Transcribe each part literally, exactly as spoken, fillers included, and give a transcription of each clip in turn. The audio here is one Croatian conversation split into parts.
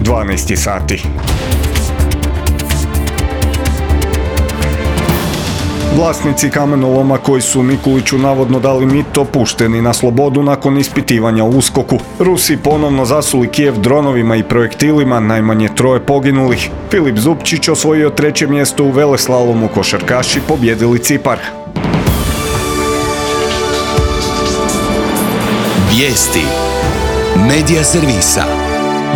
dvanaest sati. Vlasnici kamenoloma koji su Mikuliću navodno dali mito pušteni na slobodu nakon ispitivanja u uskoku. Rusi ponovno zasuli Kijev dronovima i projektilima, najmanje troje poginulih. Filip Zupčić osvojio treće mjesto u veleslalomu, košarkaši pobjedili Cipar. Vijesti Medija servisa.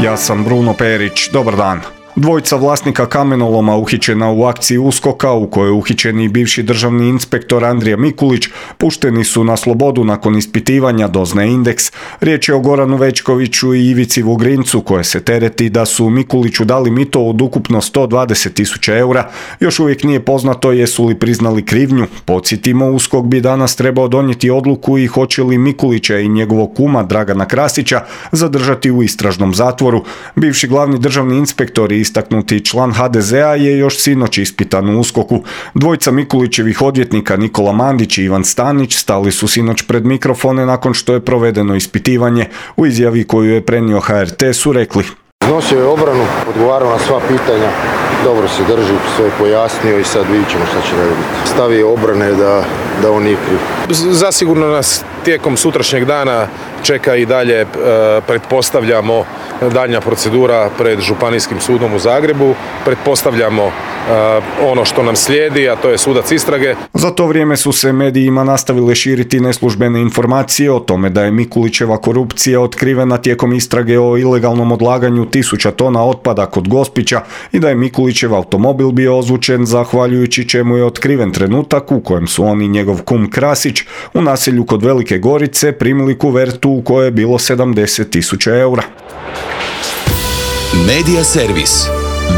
Ja sam Bruno Perić, dobar dan. Dvojica vlasnika kamenoloma uhićena u akciji uskoka u kojoj je uhićen i bivši državni inspektor Andrija Mikulić pušteni su na slobodu nakon ispitivanja, doznaje Indeks. Riječ je o Goranu Večkoviću i Ivici Vugrincu koje se tereti da su Mikuliću dali mito od ukupno sto dvadeset tisuća eura. Još uvijek nije poznato jesu li priznali krivnju. Podsjetimo, USKOK bi danas trebao donijeti odluku i hoće li Mikulića i njegovog kuma Dragana Krasića zadržati u istražnom zatvoru. Bivši glavni državni inspektor i istaknuti član ha de zea je još sinoć ispitan u uskoku. Dvojica Mikulićevih odvjetnika Nikola Mandić i Ivan Stanić stali su sinoć pred mikrofone nakon što je provedeno ispitivanje. U izjavi koju je prenio ha er te su rekli: Iznosio je obranu, odgovarao na sva pitanja, dobro se drži, sve je pojasnio i sad vidjet ćemo šta će raditi. Stav je obrane da, da on nije kriv. Zasigurno nas tijekom sutrašnjeg dana čeka i dalje, e, pretpostavljamo, daljnja procedura pred Županijskim sudom u Zagrebu. Pretpostavljamo e, ono što nam slijedi, a to je sudac istrage. Za to vrijeme su se medijima nastavile širiti neslužbene informacije o tome da je Mikulićeva korupcija otkrivena tijekom istrage o ilegalnom odlaganju tisuća tona otpada kod Gospića i da je Mikulićev automobil bio ozvučen zahvaljujući čemu je otkriven trenutak u kojem su on i njegov kum Krasić u naselju kod Velike Gorice primili kuvertu u kojoj je bilo sedamdeset tisuća eura. Medija servis.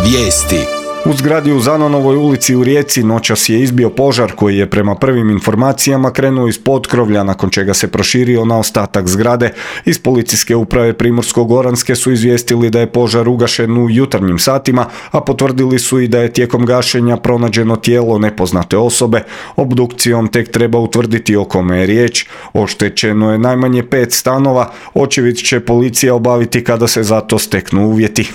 Vijesti. U zgradi u Zanonovoj ulici u Rijeci noćas je izbio požar koji je prema prvim informacijama krenuo iz potkrovlja, nakon čega se proširio na ostatak zgrade. Iz policijske uprave Primorsko-goranske su izvijestili da je požar ugašen u jutarnjim satima, a potvrdili su i da je tijekom gašenja pronađeno tijelo nepoznate osobe. Obdukcijom tek treba utvrditi o kome je riječ. Oštećeno je najmanje pet stanova, očevid će policija obaviti kada se za to steknu uvjeti.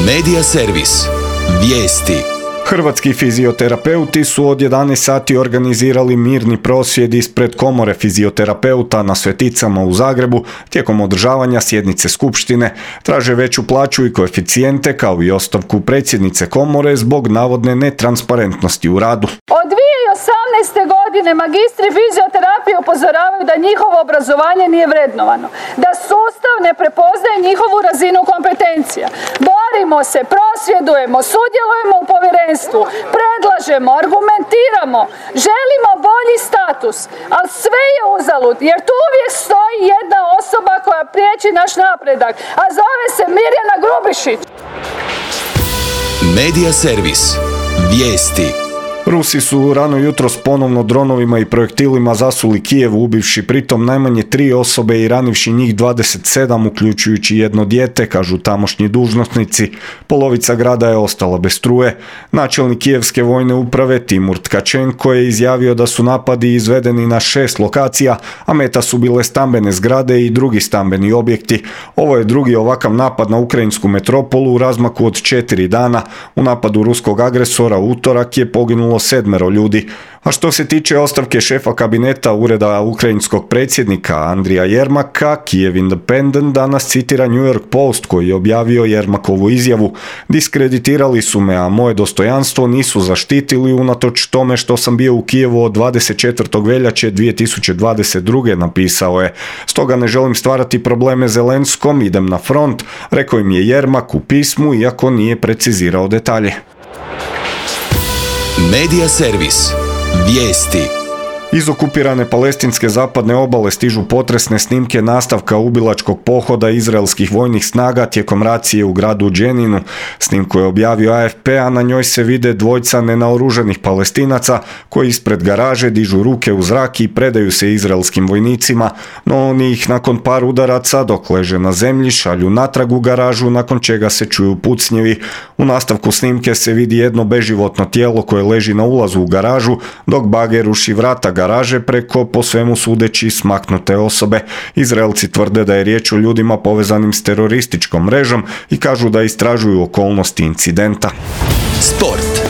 Medija servis. Vijesti. Hrvatski fizioterapeuti su od jedanaest sati organizirali mirni prosvjed ispred komore fizioterapeuta na Sveticama u Zagrebu tijekom održavanja sjednice skupštine. Traže veću plaću i koeficijente kao i ostavku predsjednice komore zbog navodne netransparentnosti u radu. Od dvije tisuće osamnaeste. godine magistri fizioterapije upozoravaju da njihovo obrazovanje nije vrednovano, da sustav ne prepoznaje njihovu razinu kompetencija. Borimo se, prosvjedujemo, sudjelujemo u povjerenstvu, predlažemo, argumentiramo, želimo bolji status, ali sve je uzalud jer tu uvijek stoji jedna osoba koja priječi naš napredak, a zove se Mirjana Grubišić. Medija servis. Vijesti. Rusi su rano jutros ponovno dronovima i projektilima zasuli Kijev, ubivši pritom najmanje tri osobe i ranivši njih dvadeset sedam, uključujući jedno dijete, kažu tamošnji dužnosnici. Polovica grada je ostala bez struje. Načelnik Kijevske vojne uprave Timur Tkačenko je izjavio da su napadi izvedeni na šest lokacija, a meta su bile stambene zgrade i drugi stambeni objekti. Ovo je drugi ovakav napad na ukrajinsku metropolu u razmaku od četiri dana. U napadu ruskog agresora u utorak je poginulo sedmero ljudi. A što se tiče ostavke šefa kabineta ureda ukrajinskog predsjednika Andrija Jermaka, Kiev Independent danas citira New York Post koji je objavio Jermakovu izjavu. Diskreditirali su me, a moje dostojanstvo nisu zaštitili unatoč tome što sam bio u Kijevu od dvadeset četvrtog veljače dvije tisuće dvadeset druge. napisao je. Stoga ne želim stvarati probleme Zelenskom, idem na front, rekao im je Jermak u pismu, iako nije precizirao detalje. Medija servis. Vijesti. Iz okupirane palestinske zapadne obale stižu potresne snimke nastavka ubilačkog pohoda izraelskih vojnih snaga tijekom racije u gradu Dženinu. Snimku je objavio a ef pe, a na njoj se vide dvojca nenaoruženih Palestinaca koji ispred garaže dižu ruke u zrak i predaju se izraelskim vojnicima, no oni ih nakon par udaraca dok leže na zemlji šalju natrag u garažu, nakon čega se čuju pucnjevi. U nastavku snimke se vidi jedno beživotno tijelo koje leži na ulazu u garažu, dok bager ruši vrata garaže garaže preko, po svemu sudeći, smaknute osobe. Izraelci tvrde da je riječ o ljudima povezanim s terorističkom mrežom i kažu da istražuju okolnosti incidenta. Sport.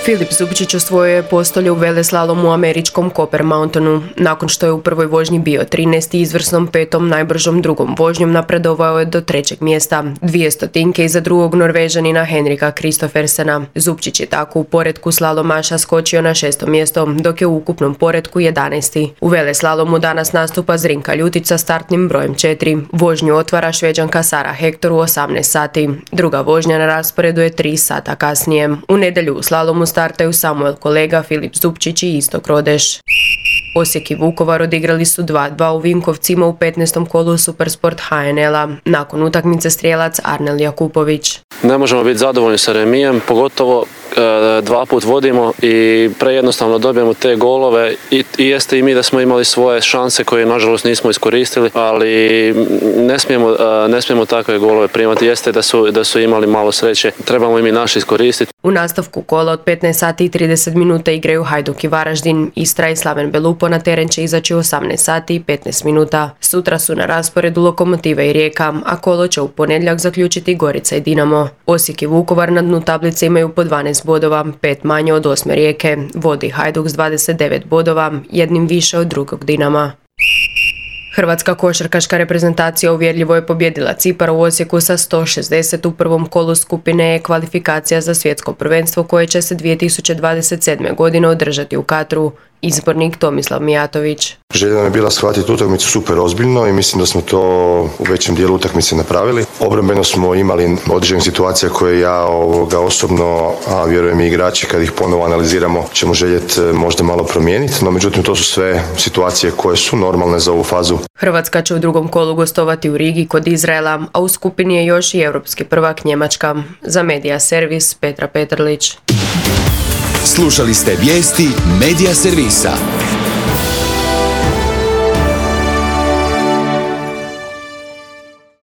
Filip Zubčić osvojio je postolje u veleslalomu u američkom Copper Mountainu. Nakon što je u prvoj vožnji bio trinaesti, izvrsnom petom najbržom drugom vožnjom napredovao je do trećeg mjesta. Dvije stotinke iza drugog Norvežanina Henrika Kristoffersena. Zubčić je tako u poretku slalomaša skočio na šesto mjesto, dok je u ukupnom poretku jedanaesti. U veleslalomu danas nastupa Zrinka Ljutić sa startnim brojem četiri. Vožnju otvara Šveđanka Sara Hector u osamnaest sati. Druga vožnja na rasporedu je tri sata kasnije. U nedjelju u slalomu startaju Samuel Kolega, Filip Zubčić i Istok Rodeš. Osijek i Vukovar odigrali su dva dva u Vinkovcima u petnaestom kolu Supersport H N L-a. Nakon utakmice strijelac Arnel Jakupović. Ne možemo biti zadovoljni sa remijem, pogotovo e, dva put vodimo i prejednostavno dobijemo te golove i, i jeste i mi da smo imali svoje šanse koje nažalost nismo iskoristili, ali ne smijemo, e, ne smijemo takve golove primati, jeste da su, da su imali malo sreće, trebamo i mi naši iskoristiti. U nastavku kola od petnaest sati i trideset minuta igraju Hajduk i Varaždin. Istra i Slaven Belupo na teren će izaći u osamnaest sati i petnaest minuta. Sutra su na rasporedu Lokomotiva i Rijeka, a kolo će u ponedjeljak zaključiti Gorica i Dinamo. Osijek i Vukovar na dnu tablice imaju po dvanaest bodova, pet manje od osme Rijeke. Vodi Hajduk s dvadeset devet bodova, jednim više od drugog Dinama. Hrvatska košarkaška reprezentacija uvjerljivo je pobijedila Cipar u Osijeku sa sto šezdeset u prvom kolu skupine E kvalifikacija za svjetsko prvenstvo koje će se dvije tisuće dvadeset sedme. godine održati u Katru. Izbornik Tomislav Mijatović. Želja nam je bila shvatiti utakmicu super ozbiljno i mislim da smo to u većem dijelu utakmice napravili. Obrambeno smo imali određenih situacija koje ja ovoga osobno, a vjerujem i igrači kad ih ponovo analiziramo, ćemo željeti možda malo promijeniti, no međutim to su sve situacije koje su normalne za ovu fazu. Hrvatska će u drugom kolu gostovati u Rigi kod Izraela, a u skupini je još i europski prvak Njemačka. Za Medija Servis Petra Petrlić. Slušali ste vijesti Medija Servisa.